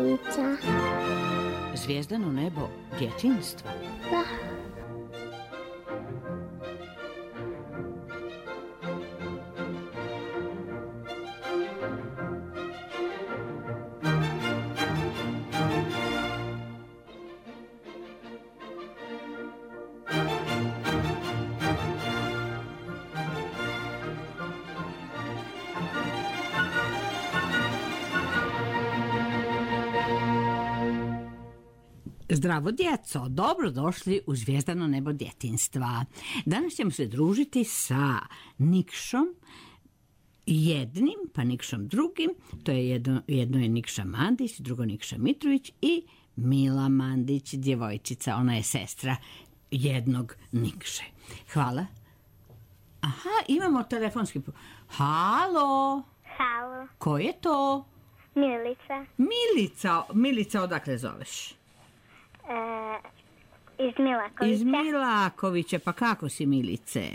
vrtića. Zvijezdano nebo djetinjstva. Da. Zdravo djeco, dobrodošli u Zvijezdano nebo djetinjstva. Danas ćemo se družiti sa Nikšom jednim, pa Nikšom drugim. To je jedno je Nikša Mandić, drugo Nikša Mitrović i Mila Mandić, djevojčica. Ona je sestra jednog Nikše. Hvala. Aha, imamo telefonski... Halo? Halo. Ko je to? Milica. Milica, odakle zoveš? Iz Milakovića. Iz Milakovića, pa kako si, Milice?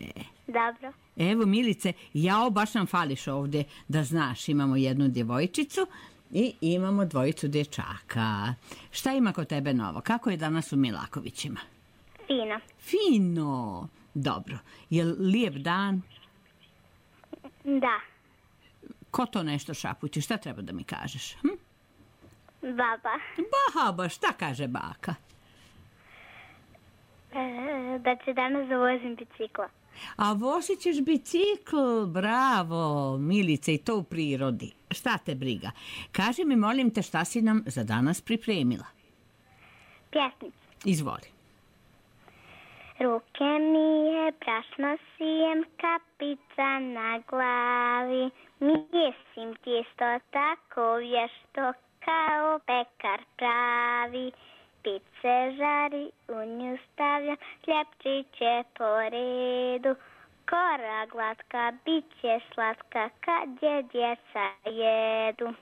Dobro. Evo, Milice, jao, baš nam fališ ovdje, da znaš, imamo jednu djevojčicu i imamo dvojicu dječaka. Šta ima kod tebe novo? Kako je danas u Milakovićima? Fino. Fino, dobro. Je li lijep dan? Da. Ko to nešto šapući? Šta treba da mi kažeš? Baba. Baba, šta kaže baka? Da će danas zavozim bicikla. A vozit ćeš bicikl, bravo, Milice, i to u prirodi. Šta te briga? Kaži mi, molim te, šta si nam za danas pripremila? Pjesmicu. Izvoli. Ruke mije, prašno sijem, kapica na glavi. Mijesim tijesto tako vješto kao pekar pravi. Pice žari, u nju stavljam, hljepčiće po redu. Kora glatka, bit će slatka kad je djeca jedu.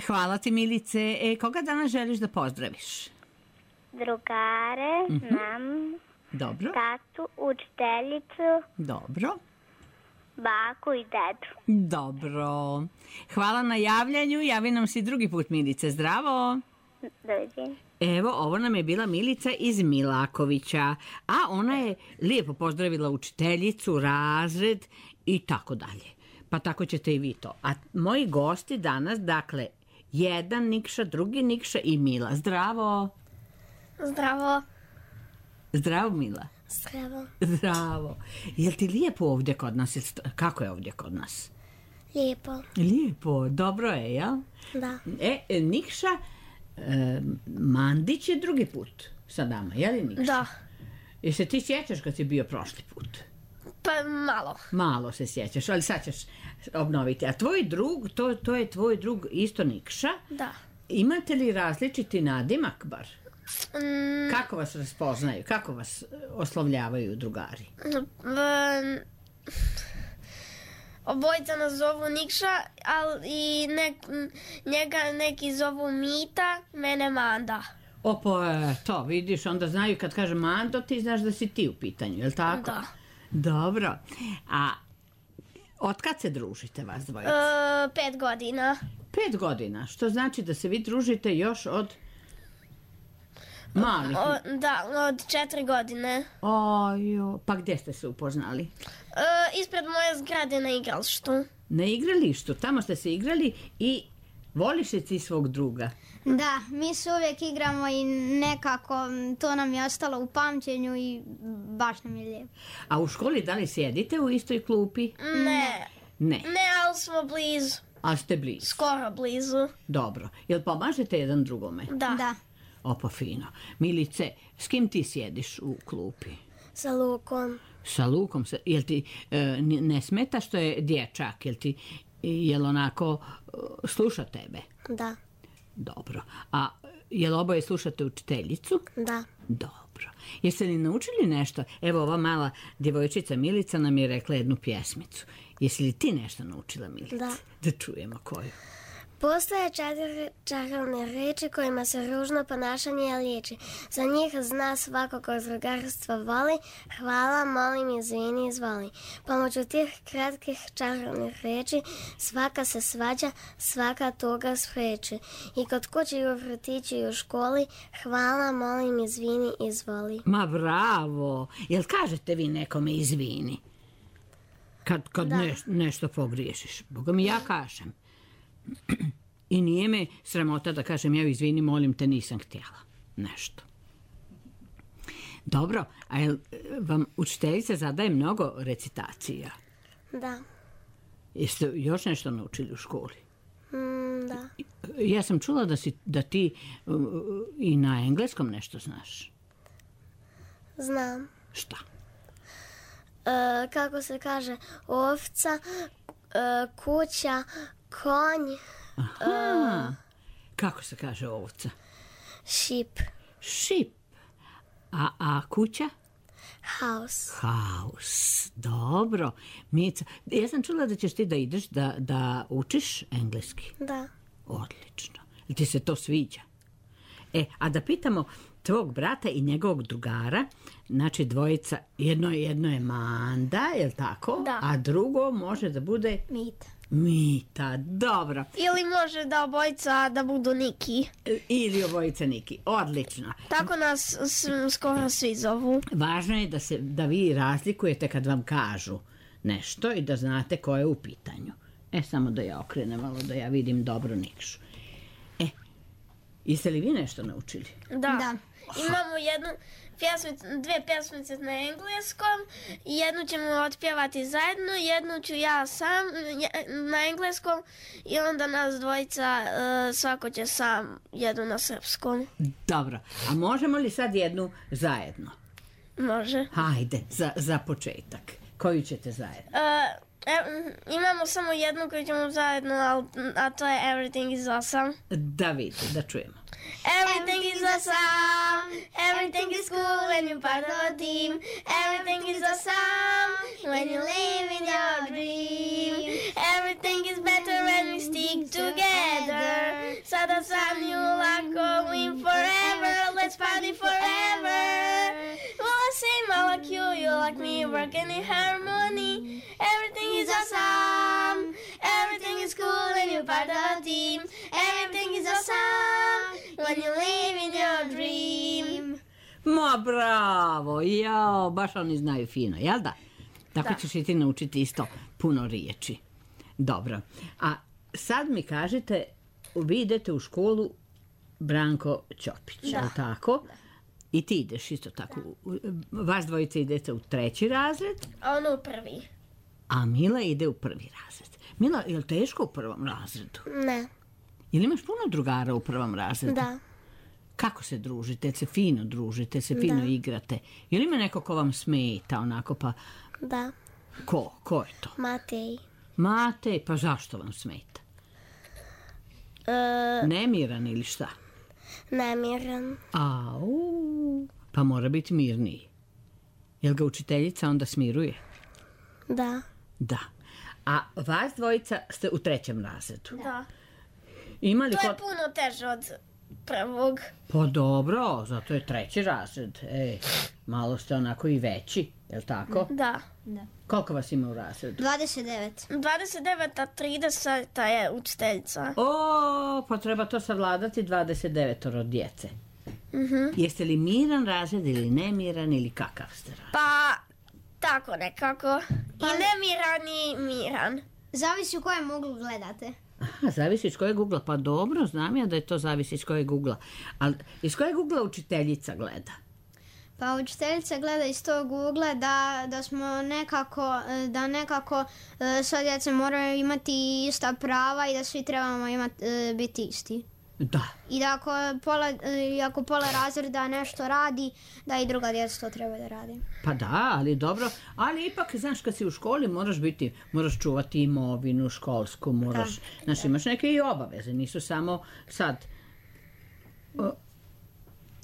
Hvala ti, Milice. Koga danas želiš da pozdraviš? Drugare, mam, Dobro. tatu, učiteljicu, Dobro. baku i dedu. Dobro. Hvala na javljanju. Javi nam si drugi put, Milice. Zdravo. Doviđenja. Evo, ovo nam je bila Milica iz Milakovića, a ona je lijepo pozdravila učiteljicu, razred i tako dalje. Pa tako ćete i vi to. A moji gosti danas, dakle, jedan Nikša, drugi Nikša i Mila. Zdravo. Zdravo. Zdravo, Mila. Zdravo. Zdravo. Jel ti lijepo ovdje kod nas? Kako je ovdje kod nas? Lijepo. Lijepo, dobro je, jel? Da. Nikša Mandić je drugi put sa nama, je li Nikša? Da. I se ti sjećaš kad si bio prošli put? Pa malo. Malo se sjećaš, ali sad ćeš obnoviti. A tvoj drug, to je tvoj drug isto Nikša? Da. Imate li različiti nadimak bar? Kako vas raspoznaju? Kako vas oslovljavaju drugari? Obojica nas zovu Nikša, ali i njega neki zovu Mita, mene Manda. To vidiš, onda znaju kad kaže Mando, ti znaš da si ti u pitanju, je li tako? Da. Dobro. A od kad se družite vas dvojica? 5 godina. 5 godina, što znači da se vi družite još od malih? Da, od 4 godine. Pa gdje ste se upoznali? Ispred moje zgrade na igralištu. Na igralištu, tamo ste se igrali i voliš li ti svog druga? Da, mi se uvijek igramo i nekako to nam je ostalo u pamćenju i baš nam je lijepo. A u školi da li sjedite u istoj klupi? Ne. Ne. Ne, ali smo blizu. Ali ste blizu? Skoro blizu. Dobro. Jel pomažete jedan drugome? Da. Pa fino. Milice, s kim ti sjediš u klupi? Sa Lukom. Sa Lukom? Jel ti ne smeta što je dječak? Jel onako sluša tebe? Da. Dobro. A jel oboje slušate učiteljicu? Da. Dobro. Jeste li naučili nešto? Evo, ova mala djevojčica Milica nam je rekla jednu pjesmicu. Jesi li ti nešto naučila, Milica? Da. Da čujemo koju. Postoje 4 čarobne reči kojima se ružno ponašanje liječi. Za njih zna svako ko drugarstvo voli, hvala, molim, izvini, izvoli. Pomoću tih kratkih čarobnih reči svaka se svađa, svaka tuga spreči. I kod kuće i u vrtiću i u školi, hvala, molim, izvini, izvoli. Ma bravo! Jel kažete vi nekome izvini? Kad nešto pogriješiš. Boga mi ja kažem. I nije me sramota da kažem ja izvini, molim te, nisam htjela nešto. Dobro, a jel vam učiteljica zadaje mnogo recitacija? Da. Jeste još nešto naučili u školi? Da. Ja sam čula da ti i na engleskom nešto znaš. Znam. Šta? Kako se kaže, ovca, kuća, konj. Aha. Kako se kaže ovca? Sheep. Sheep. A kuća? House. House. Dobro. Mica, ja sam čula da ćeš ti da ideš da učiš engleski. Da. Odlično. Jel ti se to sviđa? A da pitamo tvog brata i njegovog drugara, znači dvojica, jedno je Manda, je li tako? Da. A drugo može da bude Mita, dobro. Ili može da obojica da budu Niki. Ili obojica Niki, odlično. Tako nas skoro svi zovu. Važno je da vi razlikujete kad vam kažu nešto i da znate ko je u pitanju. Samo da ja okrenem malo, da ja vidim dobro Nikšu. Jeste li vi nešto naučili? Da. Imamo dvije pjesmice na engleskom, jednu ćemo otpjevati zajedno, jednu ću ja sam na engleskom i onda nas dvojica, svako će sam jednu na srpskom. Dobro, a možemo li sad jednu zajedno? Može. Hajde, za početak. Koju ćete zajedno? Imamo samo jednu koju ćemo zajedno, a to je Everything is awesome. Da vidite, da čujemo. Everything is awesome, everything is cool when you're part of a team. Everything is awesome when you live in your dream. Everything is better when we stick together. So the sun you are going forever, let's party forever. Well, I sing, I like you like me, working in harmony. Everything is awesome, everything is cool when you're part of a team. Everything is awesome when you live in your dream. Ma bravo, jao, baš oni znaju fino, jel da? Tako ćeš i ti naučiti isto puno riječi. Dobro, a sad mi kažete, vi idete u školu Branko Ćopić, jel tako? Da. I ti ideš isto tako. Vas dvojice idete u 3. razred? A on u 1. A Mila ide u 1. razred. Mila, je li teško u 1. razredu? Ne. Jel imaš puno drugara u 1. razredu? Da. Kako se družite? Se fino družite? Se fino igrate? Je li ima neko ko vam smeta onako pa... Da. Ko? Ko je to? Matej. Matej? Pa zašto vam smeta? Nemiran ili šta? Nemiran. Au, pa mora biti mirniji. Jel ga učiteljica onda smiruje? Da. Da. A vas dvojica ste u 3. razredu? Da. Imali to je puno teže od 1. Pa dobro, zato je 3. razred. Malo ste onako i veći, je li tako? Da. Koliko vas ima u razredu? 29. 29, a 30 je učiteljica. Pa treba to savladati 29 djece. Jeste li miran razred ili nemiran ili kakav ste razred? Pa, tako nekako. I nemiran i miran. Zavisi u kojem uglu gledate. Aha, zavisi iz kojeg ugla. Pa dobro, znam ja da je to zavisi iz kojeg ugla. Ali iz kojeg ugla učiteljica gleda? Pa učiteljica gleda iz tog ugla da smo nekako sva djeca moraju imati ista prava i da svi trebamo biti isti. Da. I da ako pola razreda nešto radi, da i druga djeca to treba da radi. Pa da, ali dobro. Ali ipak, znaš, kad si u školi moraš čuvati imovinu školsku, znaš, imaš neke i obaveze, nisu samo sad.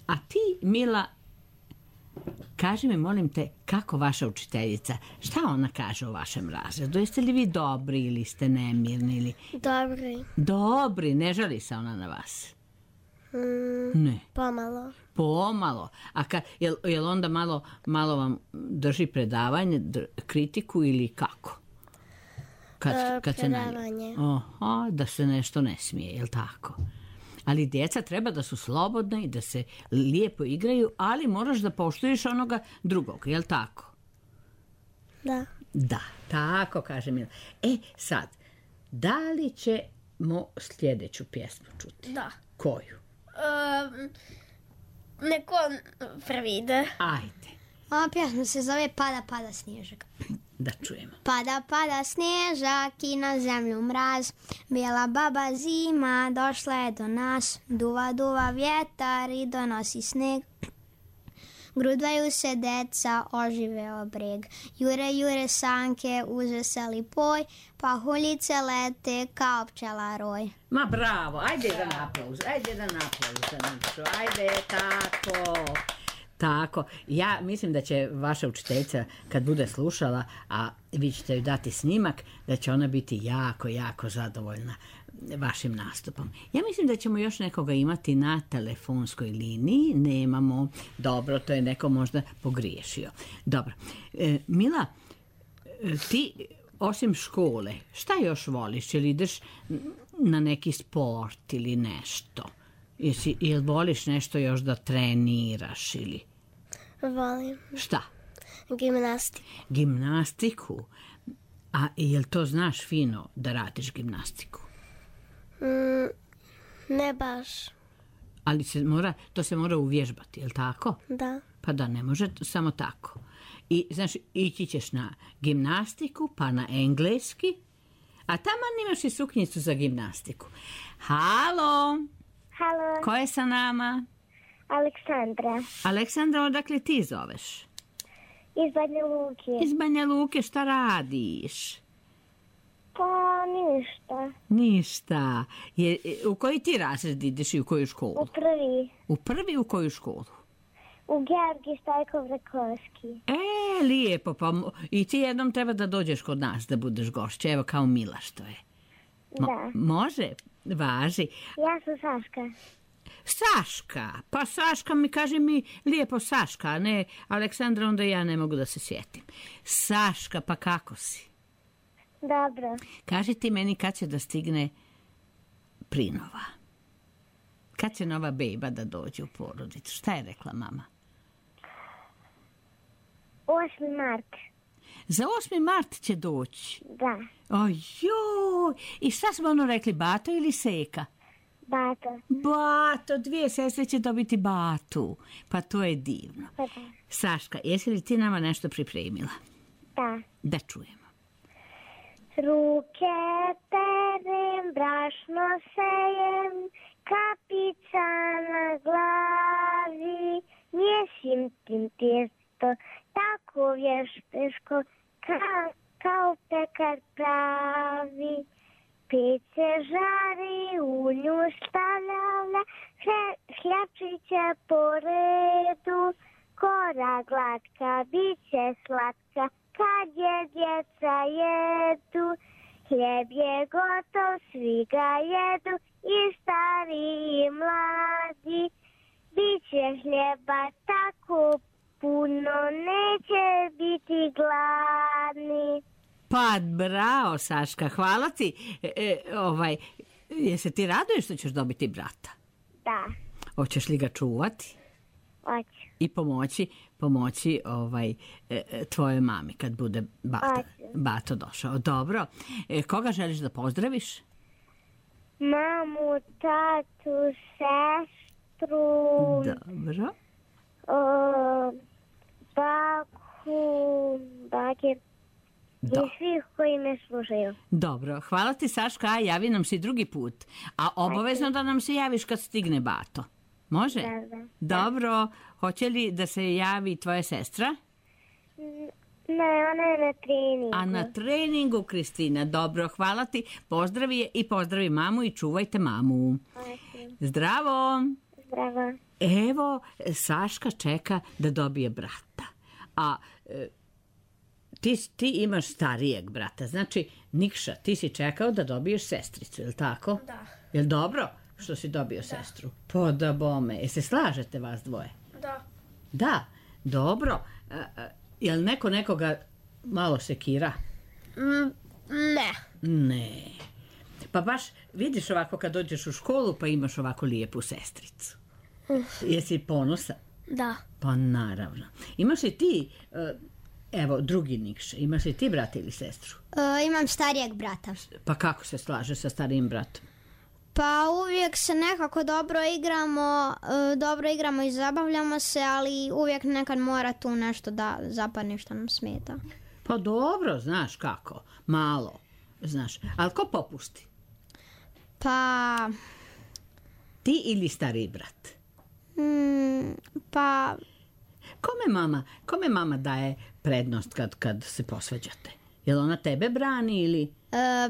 A ti, Mila, Kaži mi, molim te, kako vaša učiteljica, šta ona kaže o vašem razredu? Jeste li vi dobri ili ste nemirni? Ili... Dobri. Dobri, ne žali se ona na vas? Ne. Pomalo. Pomalo. A jel onda malo vam drži predavanje, kritiku ili kako? Kad Predavanje. Aha, da se nešto ne smije, jel tako? Ali djeca treba da su slobodne i da se lijepo igraju, ali moraš da poštuješ onoga drugog, jel tako? Da. Da, tako kaže Mila. Sad, da li ćemo sljedeću pjesmu čuti? Da. Koju? Neko prvi ide. Ajde, Ova pjesma se zove Pada, pada snježak. da čujemo. Pada, pada snježak i na zemlju mraz, bijela baba zima došla je do nas, duva, duva vjetar i donosi sneg. Grudvaju se deca, oživeo breg, jure, jure sanke uz veseli poj, pa huljice lete kao pčela roj. Ma bravo, ajde jedan aplauz za Nikšu, ajde, tako. Ja mislim da će vaša učiteljica, kad bude slušala, a vi ćete joj dati snimak, da će ona biti jako, jako zadovoljna vašim nastupom. Ja mislim da ćemo još nekoga imati na telefonskoj liniji. Nemamo. Dobro, to je neko možda pogriješio. Dobro. Mila, ti osim škole, šta još voliš? Ili ideš na neki sport ili nešto? Jel voliš nešto još da treniraš ili? Volim. Šta? Gimnastiku. A jel to znaš fino da radiš gimnastiku? Ne baš. Ali to se mora uvježbati, jel tako? Da. Pa da, ne može samo tako. I, znaš, ići ćeš na gimnastiku, pa na engleski, a taman imaš i suknjicu za gimnastiku. Halo! Halo, Ko je sa nama? Aleksandra. Aleksandra, odakle ti zoveš? Iz Banja Luke. Iz Banja Luke, šta radiš? Pa ništa. Ništa. U koji ti razred ideš i u koju školu? U prvi. U prvi u koju školu? U Georgij Stojkov Rakovski. Lijepo, pa i ti jednom treba da dođeš kod nas da budeš gošća, evo kao Mila što je. Da. Može, važi. Ja sam Saška. Saška, pa Saška mi kaže mi lijepo Saška, a ne Aleksandra, onda ja ne mogu da se sjetim. Saška, pa kako si? Dobro. Kaži ti meni kad će da stigne prinova. Kad će nova bejba da dođe u porodicu? Šta je rekla mama? 8. mart. Za 8. mart će doći. Da. Ojoj, i šta smo ono rekli, Bato ili Seka? Bato. Bato, dvije sestre će dobiti Batu. Pa to je divno. Pa da. Saška, jesi li ti nama nešto pripremila? Da. Da čujemo. Ruke perem, brašno sejem, kapica na glavi, mjesim tim tijesto, tako vješteško, kao pekar pravi. Pece žari, u nju stavljala, hljapčića po redu, kora glatka, bit će slatka, kad je djeca jedu. Hljeb je gotov, svi ga jedu, i stari i mladi. Biće hljeba tako puno, neće biti gladni. Pa bravo, Saška, hvala ti. Jesi ti raduješ što ćeš dobiti brata? Da, Hoćeš li ga čuvati? hoću. I pomoći tvojoj mami kad bude Bato došao. Dobro. Koga želiš da pozdraviš? Mamu, tatu, sestru, Dobro. baku, bakir i svih koji me slušaju. Dobro, hvala ti Saška, javi nam se drugi put. A obavezno da nam se javiš kad stigne Bato. Može? Da. Dobro, hoće li da se javi tvoja sestra? Ne, ona je na treningu. A na treningu, Kristina. Dobro, hvala ti. Pozdravi je i pozdravi mamu i čuvajte mamu. Zdravo! Zdravo. Evo, Saška čeka da dobije brata. A ti imaš starijeg brata, znači Nikša, ti si čekao da dobiješ sestricu, je li tako? Da. Je li dobro što si dobio sestru? Pa da bome, se slažete vas dvoje? Da. Da, dobro. Je li neko nekoga malo sekira? Ne. Ne. Pa baš vidiš ovako kad dođeš u školu pa imaš ovako lijepu sestricu. Jesi ponosan? Da. Pa naravno. Imaš li ti, evo drugi Nikša, imaš li ti brata ili sestru? Imam starijeg brata. Pa kako se slaže sa starijim bratom? Pa uvijek se nekako dobro igramo i zabavljamo se, ali uvijek nekad mora tu nešto da zapadne što nam smeta. Pa dobro, znaš kako, malo, znaš. Ali ko popusti? Pa... Ti ili stariji brat? Pa... Kome mama daje prednost kad se posvađate? Jel ona tebe brani ili...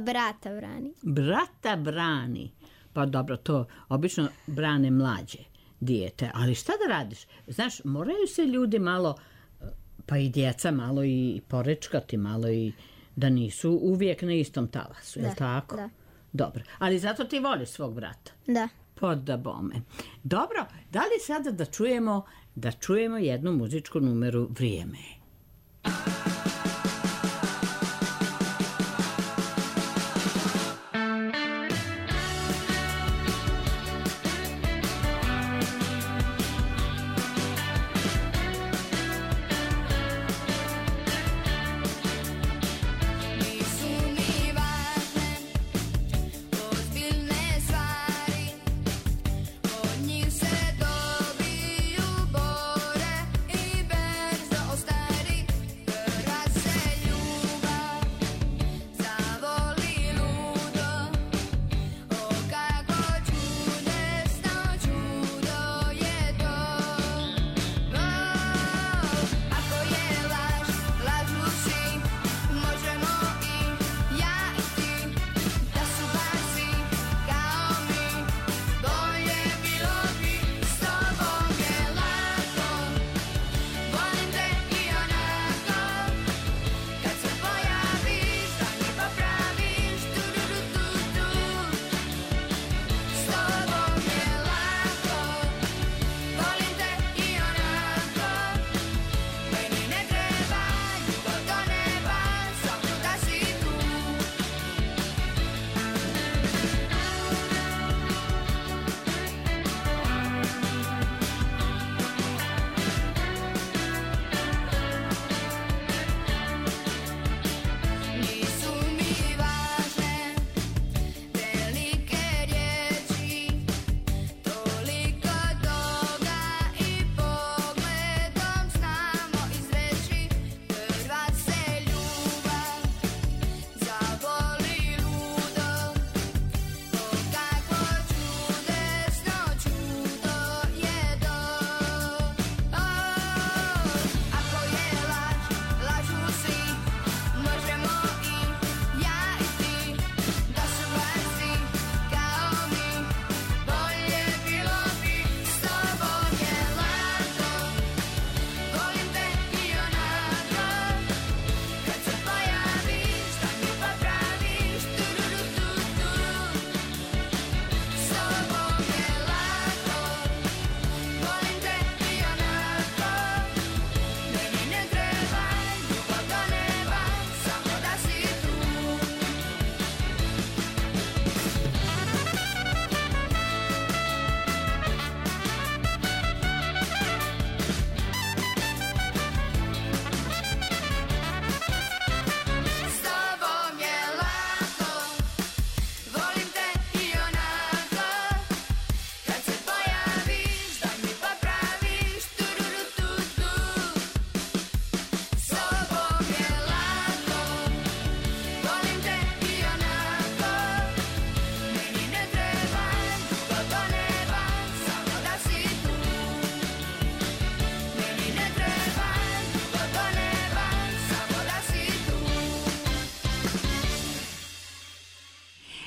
Brata brani. Brata brani. Pa dobro, to obično brane mlađe dijete. Ali šta da radiš? Znaš, moraju se ljudi malo, pa i djeca malo i porečkati, malo i da nisu uvijek na istom talasu. Je li tako? Da. Dobro. Ali zato ti voliš svog brata? Da. Pa da bome. Dobro, da li sada da čujemo jednu muzičku numeru Vrijeme?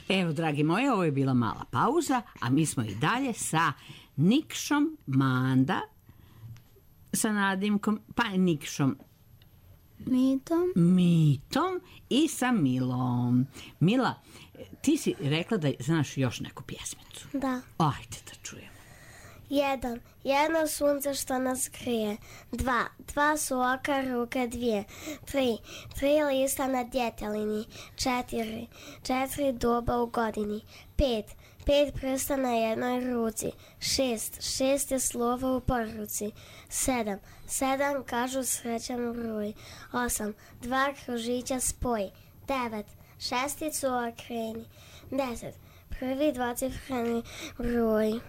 Evo, dragi moji, ovo je bila mala pauza, a mi smo i dalje sa Nikšom Manda, sa nadimkom, pa Nikšom Mitom i sa Milom. Mila, ti si rekla da znaš još neku pjesmicu. Da. Ajde da čujemo. 1. Jedno sunce što nas grije. 2. Dva su oka, ruke 2. 3. 3 lista na djetelini. 4. 4 duba u godini. 5. 5 prsta na jednoj ruci. 6. 6 je slova u poruci. 7. 7 kažu srećan broj. 8. 2 kružića spoj. 9. Šesticu okreni. 10. Prvi dvocifreni broj.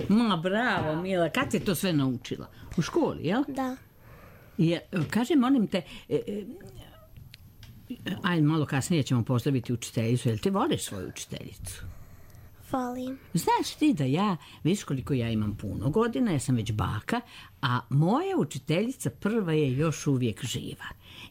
Ma, bravo, Mila. Kad si to sve naučila? U školi, jel? Da. Kaži, molim te, ajde, malo kasnije ćemo postaviti učiteljicu. Jel ti voliš svoju učiteljicu? Volim. Znaš ti da ja, vidiš koliko ja imam puno godina, ja sam već baka, a moja učiteljica prva je još uvijek živa.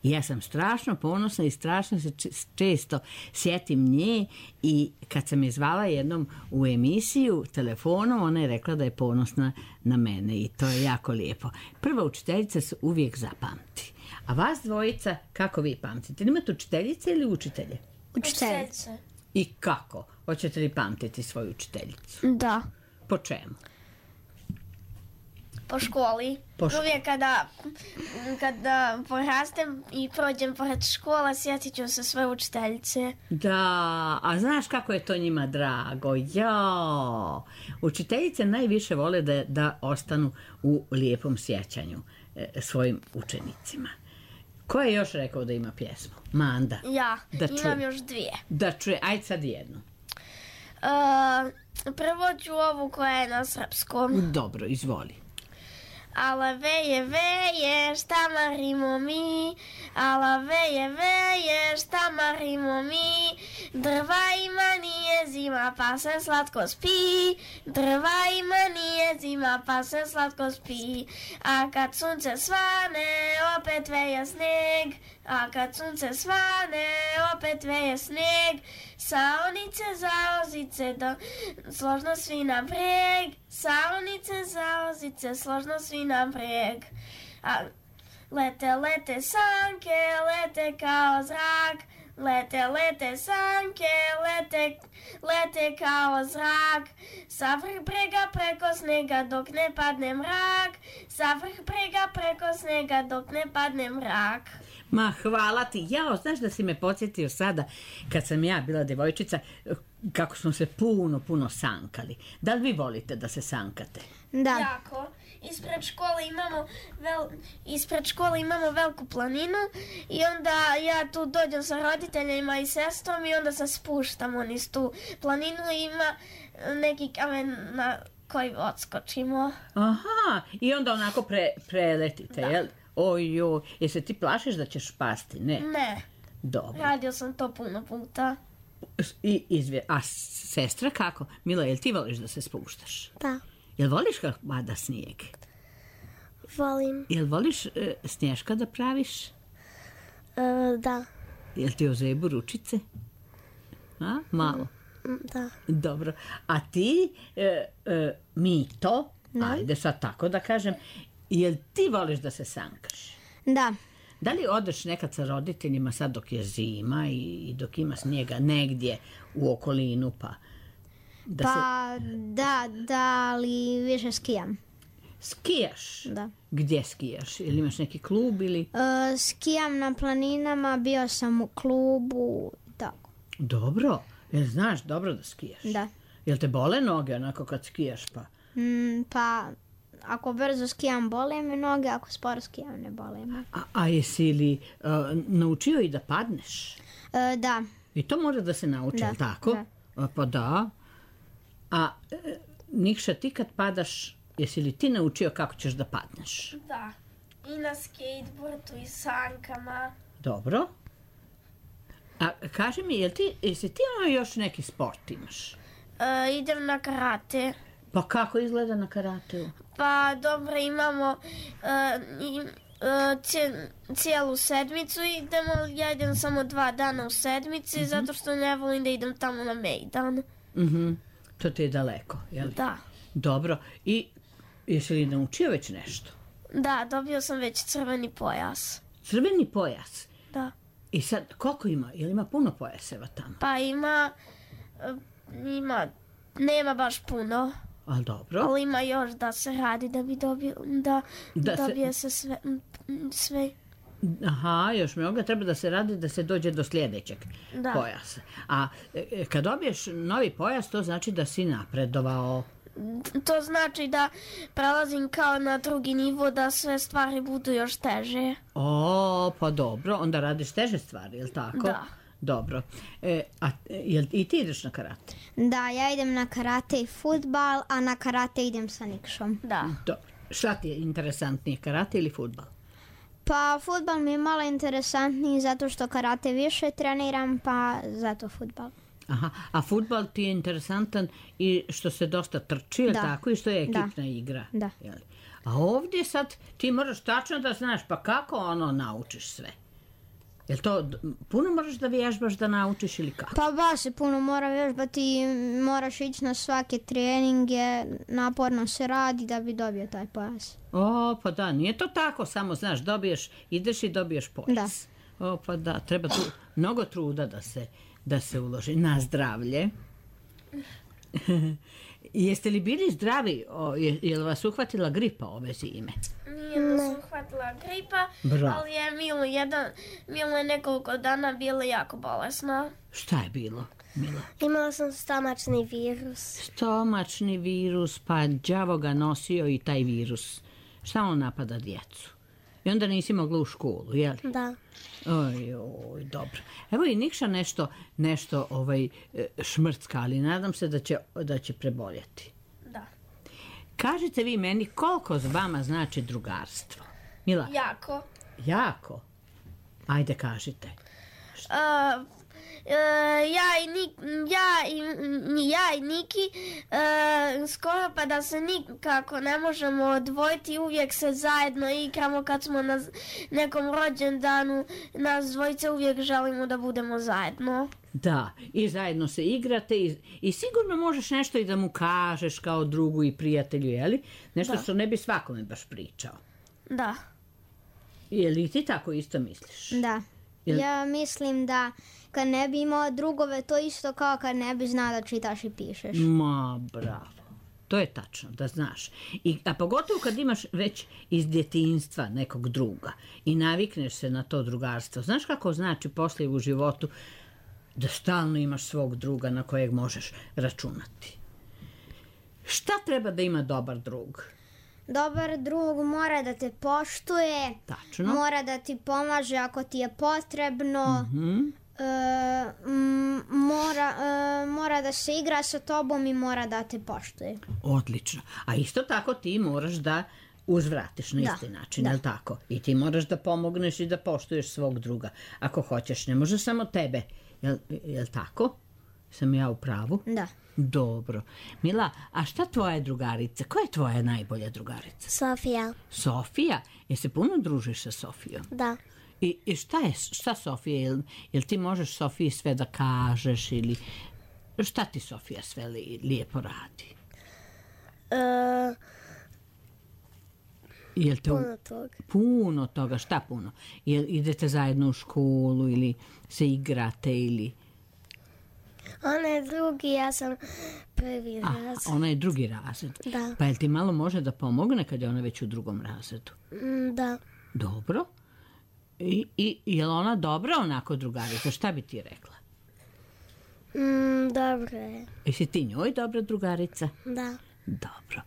I ja sam strašno ponosna i strašno se često sjetim nje i kad sam je zvala jednom u emisiju telefonom, ona je rekla da je ponosna na mene i to je jako lijepo. Prva učiteljica se uvijek zapamti. A vas dvojica, kako vi pamtite? Imate učiteljice ili učitelje? Učiteljice. I kako? Hoćete li pamtiti svoju učiteljicu? Da. Po čemu? Po školi. Uvijek kada porastem i prođem pored škola, sjetit ću se svoje učiteljice. Da, a znaš kako je to njima drago? Ja. Učiteljice najviše vole da ostanu u lijepom sjećanju svojim učenicima. Ko je još rekao da ima pjesmu? Manda. Ja, imam još 2. Da čuje, ajde sad jednu. Prvo ću ovu koja je na srpskom. Dobro, izvoli. Ala veje, veje, šta marimo mi, ala veje, veje, šta marimo mi, drva ima nije zima pa se slatko spi, drva ima nije zima pa se slatko spi, a kad sunce svane opet veje sneg, a kad sunce svane opet veje sneg, saonice, zaozice, složno svi naprijed, saonice, zaozice, složno svi naprijed. Lete, lete sanke, lete kao zrak, lete, lete sanke, lete kao zrak, sa vrh brega preko snega dok ne padne mrak, sa vrh brega preko snega dok ne padne mrak. Ma, hvala ti. Jao, znaš da si me podsjetio sada, kad sam ja bila devojčica, kako smo se puno sankali. Da li vi volite da se sankate? Da. Jako. Ispred škole imamo veliku planinu i onda ja tu dođem sa roditeljima i sestrom i onda se spuštamo niz tu planinu i ima neki kamen na koji odskočimo. Aha, i onda onako preletite, jel? Ojoj, se ti plašiš da ćeš pasti, ne? Ne. Dobro. Radio sam to puno puta. A sestra kako? Mila, jel ti voliš da se spuštaš? Da. Jel voliš kako pada snijeg? Volim. Jel voliš snješka da praviš? Da. Jel ti ozebu ručice? A? Malo? Da. Dobro. A ti, Mito, ajde sad tako da kažem, jel ti voliš da se sankaš? Da. Da li odeš nekad sa roditeljima sad dok je zima i dok ima snijega negdje u okolinu pa... Da, ali više skijam. Skijaš? Da. Gdje skijaš? Ili imaš neki klub ili... Skijam na planinama, bio sam u klubu i tako. Dobro. Jel znaš dobro da skijaš? Da. Jel te bole noge onako kad skijaš pa? Pa ako brzo skijam bole me noge, ako sporo skijam ne bole me. A jesi li naučio i da padneš? Da. I to mora da se nauči, da. Tako? Da. Pa da. A Nikša, ti kad padaš, jesi li ti naučio kako ćeš da padneš? Da. I na skateboardu i sankama. Dobro. A kaži mi, jesi ti imao još neki sport imaš? Idem na karate. Pa kako izgleda na karateu? Pa dobro, imamo cijelu sedmicu idemo, ja idem samo 2 dana u sedmici, zato što ne volim da idem tamo na mejdan. To ti je daleko, jel? Da. Dobro, i jesi li naučio već nešto? Da, dobio sam već crveni pojas. Crveni pojas. Da. I sad, koliko ima? Jel ima puno pojaseva tamo? Pa ima, nema baš puno, Ali dobro. ali ima još da se radi da bi dobije se sve. Aha, još mnogo treba da se radi da se dođe do sljedećeg pojasa. A kad dobiješ novi pojas, to znači da si napredovao. To znači da prelazim kao na drugi nivo, da sve stvari budu još teže. O, pa dobro, onda radiš teže stvari, je li tako? Da. Dobro. A jel i ti ideš na karate? Da, ja idem na karate i fudbal, a na karate idem sa Nikšom. Da. Dobro. Šta ti je interesantnije, karate ili fudbal? Pa fudbal mi je malo interesantniji zato što karate više treniram, pa zato fudbal. Aha, a fudbal ti je interesantan i što se dosta trči, Da. tako, i što je ekipna igra. Da. Jel? A ovdje sad ti moraš tačno da znaš, pa kako naučiš sve? Jel to puno moraš da vježbaš da naučiš ili kako? Pa baš se puno mora vježbati, moraš ići na svake treninge, naporno se radi da bi dobio taj pojas. O, pa da, nije to tako, samo znaš, ideš i dobiješ pojas. O, pa da, treba tu mnogo truda da se uloži. Na zdravlje. Jeste li bili zdravi? Je li vas uhvatila gripa ove zime? Nije nas uhvatila gripa, Bravo. ali je Milo je nekoliko dana bila jako bolesna. Šta je bilo, Mila? Imala sam stomačni virus. Stomačni virus, pa đavo ga nosio i taj virus. Šta on napada djecu? I onda nisi mogla u školu, jel? Da. Oj, dobro. Evo i Nikša nešto šmrcka, ali nadam se da će preboljeti. Da. Kažite vi meni koliko za vama znači drugarstvo? Mila? Jako. Jako? Ajde, kažite. Ja i Niki skoro pa da se nikako ne možemo odvojiti, uvijek se zajedno igramo kad smo na nekom rođendanu, nas dvojice uvijek želimo da budemo zajedno. Da, i zajedno se igrate i sigurno možeš nešto i da mu kažeš kao drugu i prijatelju, jeli? Nešto što ne bi svakome baš pričao. Da. Je li ti tako isto misliš? Da. Ja mislim da kad ne bi imao drugove, to isto kao kad ne bi znao da čitaš i pišeš. Ma, bravo. To je tačno, da znaš. A pogotovo kad imaš već iz djetinjstva nekog druga i navikneš se na to drugarstvo. Znaš kako znači poslije u životu da stalno imaš svog druga na kojeg možeš računati? Šta treba da ima dobar drug? Dobar drug mora da te poštuje, Tačno. mora da ti pomaže ako ti je potrebno, mora da se igra sa tobom i mora da te poštuje. Odlično. A isto tako ti moraš da uzvratiš na isti način, jel tako? I ti moraš da pomogneš i da poštuješ svog druga. Ako hoćeš, ne može samo tebe. Jel tako? Sam ja u pravu? Da. Dobro. Mila, a šta tvoja drugarica? Koja je tvoja najbolja drugarica? Sofija. Sofija? Jel se puno družiš sa Sofijom? Da. I šta Sofija? Jel ti možeš Sofiji sve da kažeš ili šta ti Sofija sve lijepo radi? Puno toga. Puno toga, šta puno? Jel idete zajedno u školu ili se igrate ili... Ona je drugi, ja sam prvi razred. Ona je drugi razred. Da. Pa jel ti malo može da pomogne kad je ona već u drugom razredu? Da. Dobro. I je li ona dobra onako drugarica? Šta bi ti rekla? Dobro je. Jesi ti njoj dobra drugarica? Da. Dobro.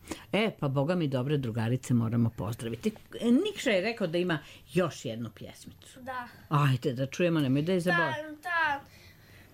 Pa Boga mi dobre drugarice moramo pozdraviti. Nikša je rekao da ima još jednu pjesmicu. Da. Ajde da čujemo, nemoj da je zaboravim.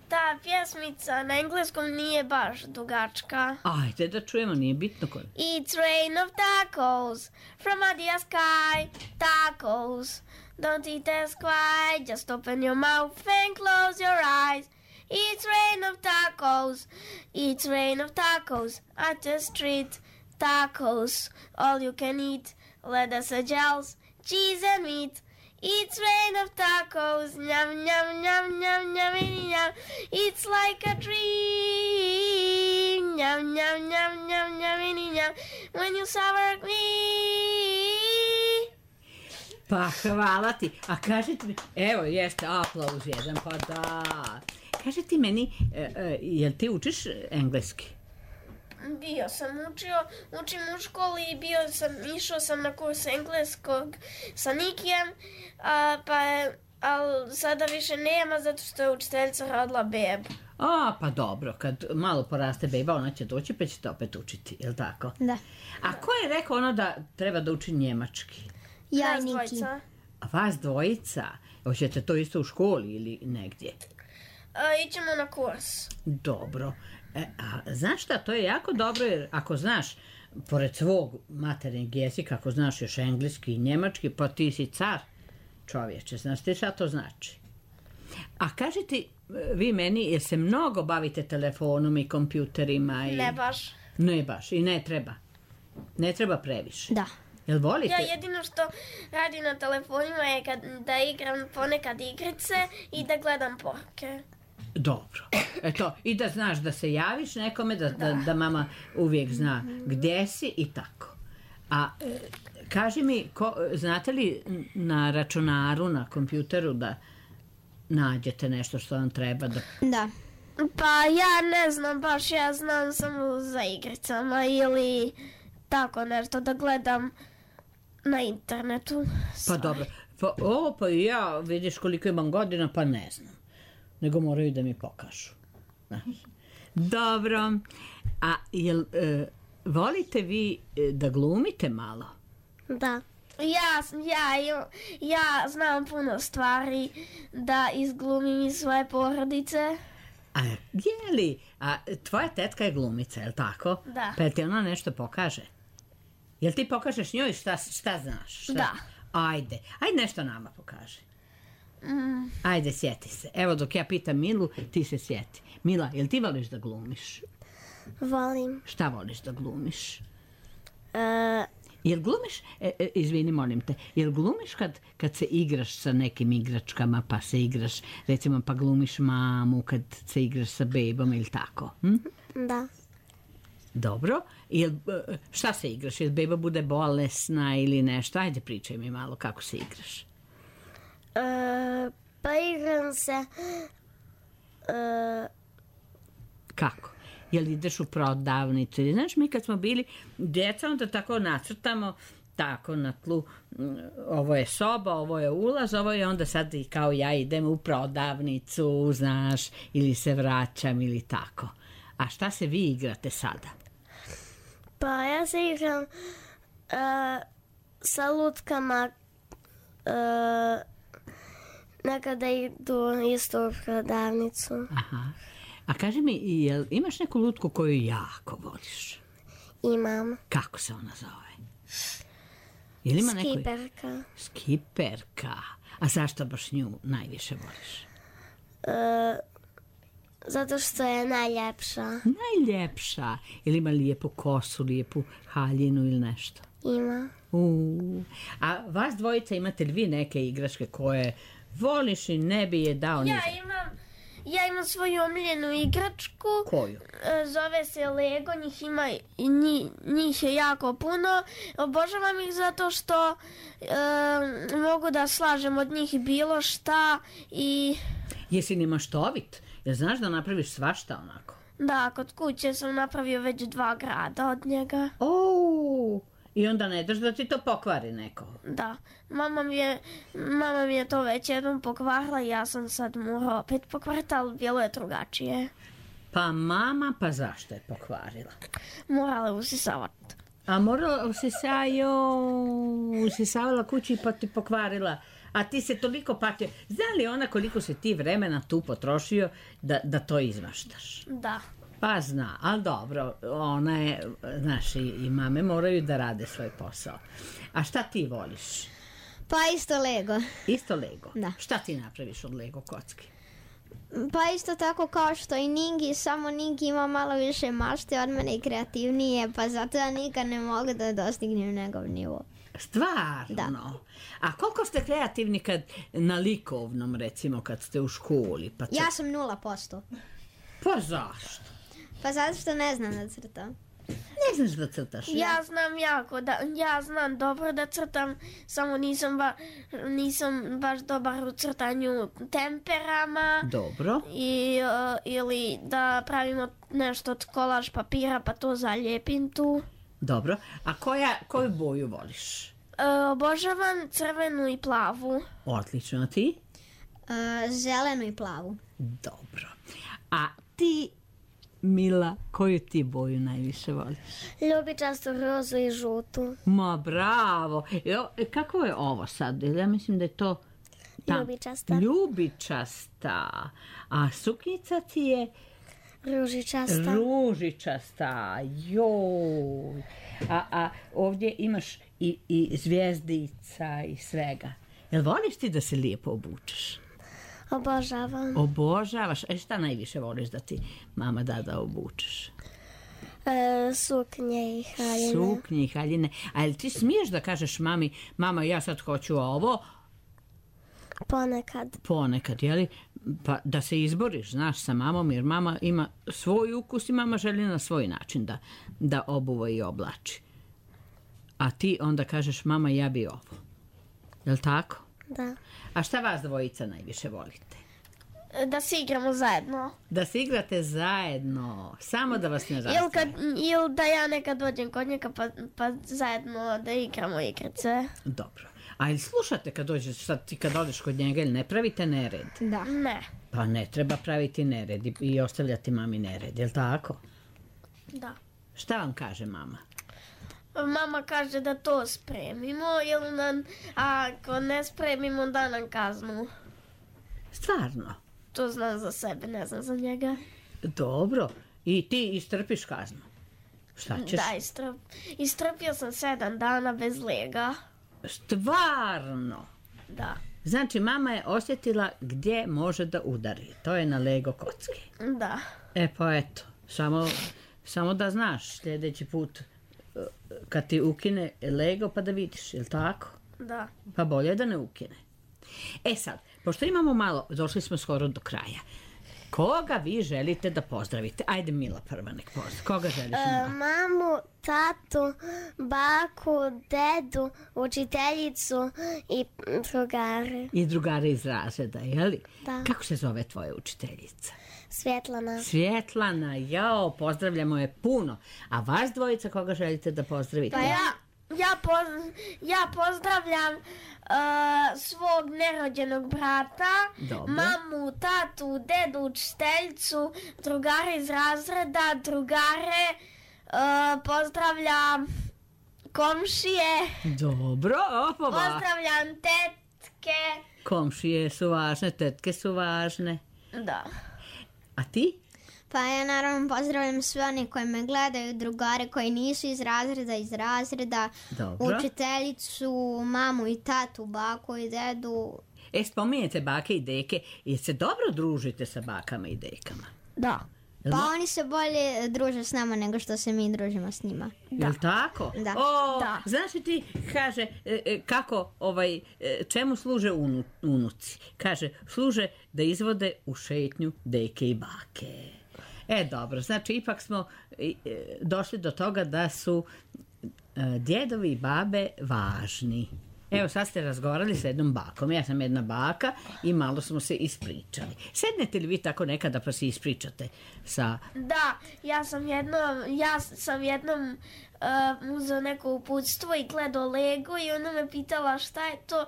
Ta pjesmica na engleskom nije baš dugačka. Ajde da čujemo, nije bitno koje. It's rain of tacos from Adia sky. Tacos, don't eat as quiet. Just open your mouth and close your eyes. It's rain of tacos. It's rain of tacos at the street. Tacos, all you can eat. Lettuce, gels, cheese and meat. It's rain of tacos, nyam, nyam, nyam, nyam, nyam, nyam. It's like a dream, nyam, nyam, nyam, nyam, nyam, nyam. When you sour me. Pa hvala ti. A kažete mi, evo jeste, aplauz jedan, pa da. Kaži ti meni, jel ti učiš engleski? Bio sam učim u školi i išao sam na kurs engleskog sa Nikijem, ali sada više nema zato što je učiteljica rodila bebu. Pa dobro, kad malo poraste beba, ona će doći pa ćete opet učiti, je li tako? Da. A ko je rekao ono da treba da uči njemački? Ja i Nas Niki. dvojica. A vas dvojica? Hoćete to isto u školi ili negdje? Ićemo na kurs. Dobro. A znaš šta, to je jako dobro jer ako znaš, pored svog materinjeg jezika, ako znaš još engleski i njemački, pa ti si car čovječe, znaš ti šta to znači? A kažite vi meni, jer se mnogo bavite telefonom i kompjuterima? Ne baš. Ne baš i ne treba. Ne treba previše. Da. Jel volite? Ja jedino što radim na telefonima je da igram ponekad igrice i da gledam poruke. Dobro. Eto, i da znaš da se javiš nekome, da mama uvijek zna gdje si i tako. A kaži mi, znate li na računaru, na kompjuteru da nađete nešto što vam treba da... Da. Pa ja ne znam baš, ja znam samo za igricama ili tako nešto da gledam na internetu. Pa dobro. Pa ja, vidiš koliko imam godina, pa ne znam. Nego moraju da mi pokažu. Dobro. A jel volite vi da glumite malo? Da. Ja znam puno stvari da izglumim iz svoje porodice. A je li? A tvoja tetka je glumica, je li tako? Da. Pa jel ti ona nešto pokaže? Jel ti pokažeš njoj šta znaš? Šta? Da. Ajde nešto nama pokaži. Ajde, sjeti se. Evo dok ja pitam Milu, ti se sjeti. Mila, jel ti voliš da glumiš? Volim. Šta voliš da glumiš? Jel glumiš, izvini molim te, jel glumiš kad se igraš sa nekim igračkama, pa se igraš, recimo pa glumiš mamu kad se igraš sa bebom ili tako? Da. Dobro. Šta se igraš? Jel beba bude bolesna ili nešto? Ajde pričaj mi malo kako se igraš. Pa igram se... Kako? Jel ideš u prodavnicu? Znaš, mi kad smo bili djeca, onda tako nacrtamo tako na tlu, ovo je soba, ovo je ulaz, ovo je onda sad i kao ja idem u prodavnicu, znaš, ili se vraćam ili tako. A šta se vi igrate sada? Pa ja se igram sa lutkama, nekada idu isto u prodavnicu. Aha. A kaži mi, jel imaš neku lutku koju jako voliš? Imam. Kako se ona zove? Jel ima Skiperka. Skiperka. A zašto baš nju najviše voliš? Zato što je najljepša. Najljepša. Jel ima lijepu kosu, lijepu haljinu ili nešto? Ima. A vas dvojica imate li vi neke igračke koje voliš i ne bi je dao ništa? Ja imam svoju omiljenu igračku. Koju? Zove se Lego, njih je jako puno. Obožavam ih zato što mogu da slažem od njih bilo šta i... Jesi li maštovit? Jel znaš da napraviš svašta onako? Da, kod kuće sam napravio već 2 grada od njega. I onda ne daš da ti to pokvari neko? Da, mama mi je to već jednom pokvarila i ja sam sad morala opet pokvariti, ali bilo je drugačije. Pa mama, pa zašto je pokvarila? Morala je usisavati. A morala usisavala kući pa ti pokvarila. A ti se toliko patio. Zna li ona koliko se ti vremena tu potrošio da to izmaštaš? Da. Pa zna, ali dobro, ona je, znaš, i mame moraju da rade svoj posao. A šta ti voliš? Pa isto Lego. Isto Lego? Da. Šta ti napraviš od Lego kocki? Pa isto tako kao što i Ningi, samo Ningi ima malo više mašte od mene i kreativnije, pa zato ja nikad ne mogu da dostignem njegov nivo. Stvarno? Da. A koliko ste kreativni kad na likovnom, recimo, kad ste u školi? Pa Ja sam 0%. Pa zašto? Pa zato što ne znam da crtam. Ne znaš da crtaš? Ja znam ja znam dobro da crtam, samo nisam baš dobar u crtanju temperama. Dobro. Ili da pravimo nešto od kolaž papira pa to zalijepim tu. Dobro. A koju boju voliš? Obožavam crvenu i plavu. Odlično. A ti? Zelenu i plavu. Dobro. A ti, Mila, koju ti boju najviše voliš? Ljubičastu, rozu i žutu. Ma bravo. Kako je ovo sad? Ja mislim da je to... Ljubičasta. Ljubičasta. A suknjica ti je... Ružičasta. Ružičasta. Joj. A ovdje imaš i zvjezdica i svega. Jel voliš ti da se lijepo obučeš? Obožavam. Obožavaš. Šta najviše voliš da ti mama da obučeš? Suknje i haljine. Suknje i haljine. A jel ti smiješ da kažeš mami, mama ja sad hoću ovo? Ponekad. Ponekad, jeli? Pa da se izboriš, znaš, sa mamom, jer mama ima svoj ukus i mama želi na svoj način da obuva i oblači. A ti onda kažeš, mama, ja bi ovo. Jel tako? Da. A šta vas dvojica najviše volite? Da se igramo zajedno. Da se igrate zajedno, samo da vas ne razdvoji. Ili da ja nekad dođem kod njega pa zajedno da igramo igrice. Dobro. A ili slušate kad dođeš, sad ti kad odeš kod njega, ili ne pravite nered? Da. Ne. Pa ne treba praviti nered i ostavljati mami nered, jel tako? Da. Šta vam kaže mama? Mama kaže da to spremimo, ako ne spremimo da nam kaznu. Stvarno? To znam za sebe, ne znam za njega. Dobro. I ti istrpiš kaznu? Šta ćeš? Da, istrpio sam 7 dana bez lega. Stvarno? Da. Znači, mama je osjetila gdje može da udari. To je na Lego kocki. Da. Pa eto, samo da znaš sljedeći put kad ti ukine Lego pa da vidiš, jel tako? Da. Pa bolje da ne ukine. Sad, pošto imamo malo, došli smo skoro do kraja. Koga vi želite da pozdravite? Ajde, Mila prva nek pozdravi. Koga želiš? Mamu, tatu, baku, dedu, učiteljicu i drugare. I drugare iz razreda, jeli? Da. Kako se zove tvoja učiteljica? Svjetlana. Svjetlana, jao, pozdravljamo je puno. A vas dvojica koga želite da pozdravite? Pa ja pozdravljam svog nerođenog brata, Dobro. mamu, tatu, dedu, učiteljicu, drugare iz razreda, drugare, pozdravljam komšije, Dobro, pozdravljam tetke. Komšije su važne, tetke su važne. Da. A ti? Pa ja naravno pozdravljam sve one koji me gledaju, drugare koji nisu iz razreda, Dobro. učiteljicu, mamu i tatu, baku i dedu. Spominjete bake i deke, jer se dobro družite sa bakama i dekama? Da. Pa oni se bolje druže s nama nego što se mi družimo s njima. Jel tako? Da. Da. Znaš li ti, kaže, kako, čemu služe unuci? Kaže, služe da izvode u šetnju deke i bake. Dobro, znači ipak smo došli do toga da su djedovi i babe važni. Evo sad ste razgovarali sa jednom bakom. Ja sam jedna baka i malo smo se ispričali. Sednete li vi tako nekada pa se ispričate sa... Da, ja sam jednom uzeo neko uputstvo i gledao Lego i ona me pitala šta je to.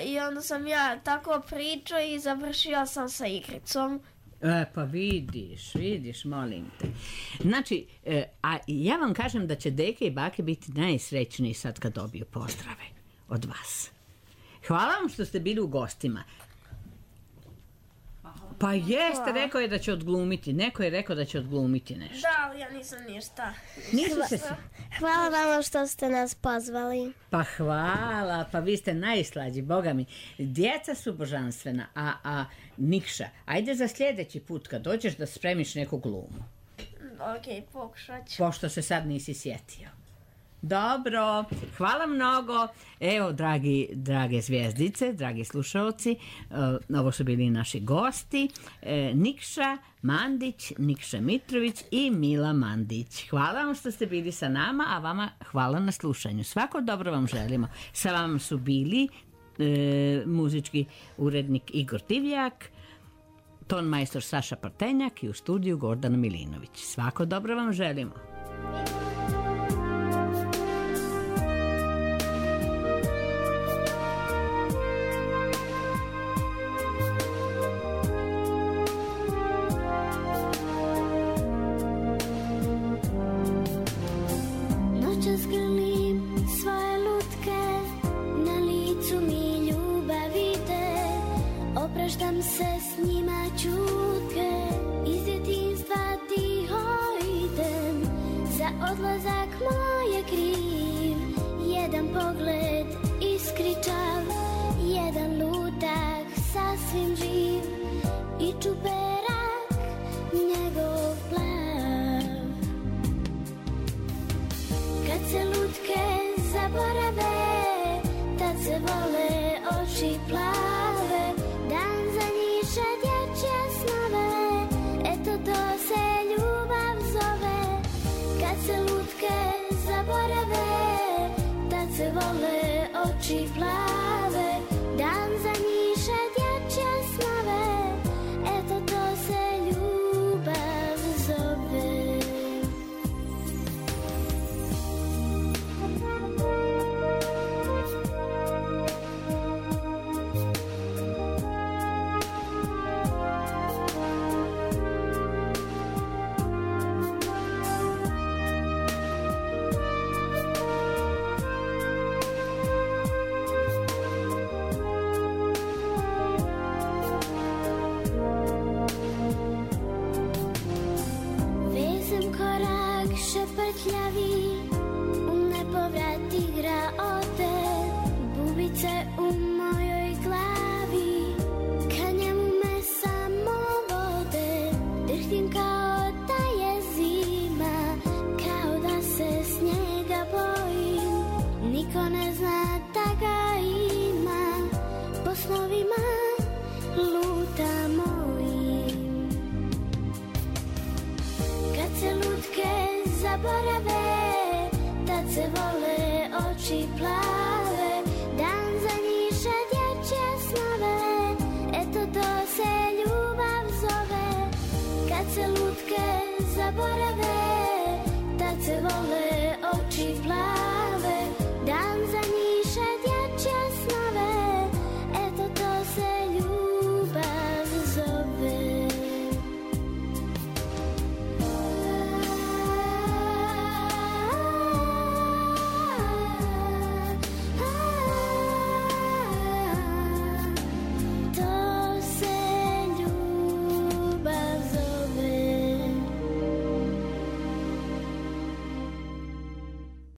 I onda sam ja tako pričao i završio sam sa igricom. Pa vidiš, molim te. Znači, a ja vam kažem da će deke i bake biti najsrećniji sad kad dobiju pozdrave od vas. Hvala vam što ste bili u gostima. Pa jeste, rekao je da će odglumiti. Neko je rekao da će odglumiti nešto. Da, ali ja nisam ništa. Hvala vam što ste nas pozvali. Pa hvala, pa vi ste najslađi, boga mi. Djeca su božanstvena, a Nikša, ajde za sljedeći put kad dođeš da spremiš neku glumu. Ok, pokušat ću. Pošto se sad nisi sjetio. Dobro, hvala mnogo. Evo, drage zvijezdice, dragi slušalci, ovo su bili naši gosti, Nikša Mandić, Nikša Mitrović i Mila Mandić. Hvala vam što ste bili sa nama, a vama hvala na slušanju. Svako dobro vam želimo. Sa vama su bili muzički urednik Igor Divjak, ton majstor Saša Partenjak i u studiju Gordana Milinović. Svako dobro vam želimo. Noćas grlim svoje lutke, na licu mi ljubavite, opraštam se s njima čutke, iz djetinjstva tiho idem, za odlazak moj je kriv, jedan pogled iskričav, jedan lutak sasvim živ i čuperak njegov plav. Kad se lutke zaborave, tad se vole oči plave, dan zanjiše dječje snove, eto to se ljubav zove. Kad se lutke zaborave, tad se vole oči plave, dan zanjiše dječje snove, eto to se ljubav zove. Šeprtljavi, u nepovrat igra ode, bubice u mojoj glavi, ka njemu me samo vode, drhtim kao da je zima, kao da se snijega bojim, niko ne zna da ga ima, po snovima luta mojim. Kad se lutke zaborave, tad se vole oči plave.